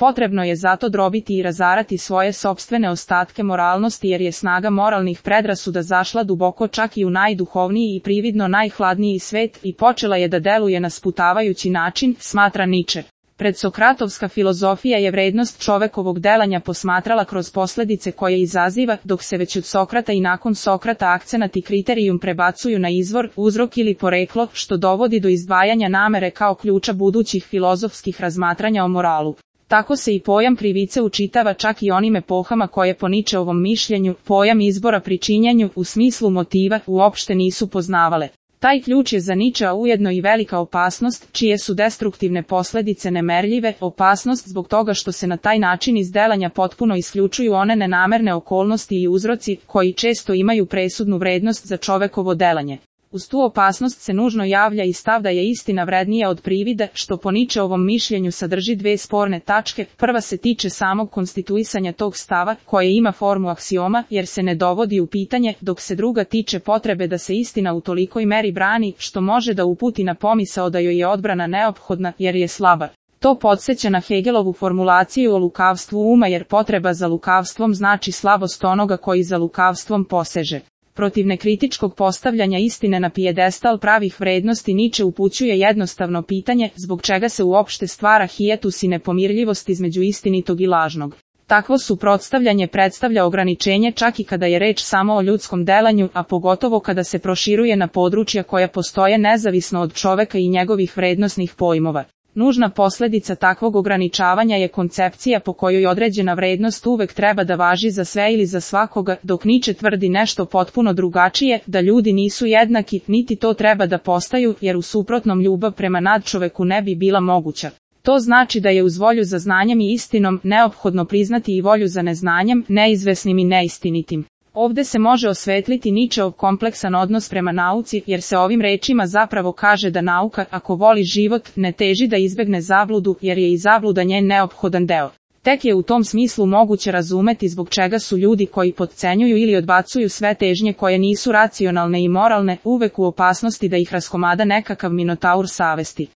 Potrebno je zato drobiti i razarati svoje sopstvene ostatke moralnosti jer je snaga moralnih predrasuda zašla duboko čak i u najduhovniji i prividno najhladniji svet i počela je da deluje na sputavajući način, smatra Niče. Predsokratovska filozofija je vrednost čovekovog delanja posmatrala kroz posledice koje izaziva, dok se već od Sokrata i nakon Sokrata akcenat i kriterijum prebacuju na izvor, uzrok ili poreklo, što dovodi do izdvajanja namere kao ključa budućih filozofskih razmatranja o moralu. Tako se i pojam krivice učitava čak i onim epohama koje po Ničeovom mišljenju, pojam izbora pri činjenju, u smislu motiva, uopšte nisu poznavale. Taj ključ je za Ničea ujedno i velika opasnost, čije su destruktivne posledice nemerljive, opasnost zbog toga što se na taj način iz delanja potpuno isključuju one nenamerne okolnosti i uzroci, koji često imaju presudnu vrednost za čovekovo delanje. Uz tu opasnost se nužno javlja i stav da je istina vrednija od privida, što po Ničeovom mišljenju sadrži dve sporne tačke. Prva se tiče samog konstituisanja tog stava, koje ima formu aksioma, jer se ne dovodi u pitanje, dok se druga tiče potrebe da se istina u tolikoj meri brani, što može da uputi na pomisao da joj je odbrana neophodna, jer je slaba. To podsjeća na Hegelovu formulaciju o lukavstvu uma, jer potreba za lukavstvom znači slabost onoga koji za lukavstvom poseže. Protiv nekritičkog postavljanja istine na pijedestal pravih vrednosti Niče upućuje jednostavno pitanje, zbog čega se uopšte stvara hijetus i nepomirljivost između istinitog i lažnog. Takvo suprotstavljanje predstavlja ograničenje čak i kada je reč samo o ljudskom delanju, a pogotovo kada se proširuje na područja koja postoje nezavisno od čoveka i njegovih vrednosnih pojmova. Nužna posljedica takvog ograničavanja je koncepcija po kojoj određena vrednost uvek treba da važi za sve ili za svakoga, dok Niče tvrdi nešto potpuno drugačije, da ljudi nisu jednaki, niti to treba da postaju, jer u suprotnom ljubav prema nadčoveku ne bi bila moguća. To znači da je uz volju za znanjem i istinom neophodno priznati i volju za neznanjem, neizvesnim i neistinitim. Ovde se može osvetliti Ničeov kompleksan odnos prema nauci, jer se ovim rečima zapravo kaže da nauka, ako voli život, ne teži da izbegne zabludu, jer je i zabluda njen neophodan deo. Tek je u tom smislu moguće razumeti zbog čega su ljudi koji potcenjuju ili odbacuju sve težnje koje nisu racionalne i moralne, uvek u opasnosti da ih raskomada nekakav minotaur savesti.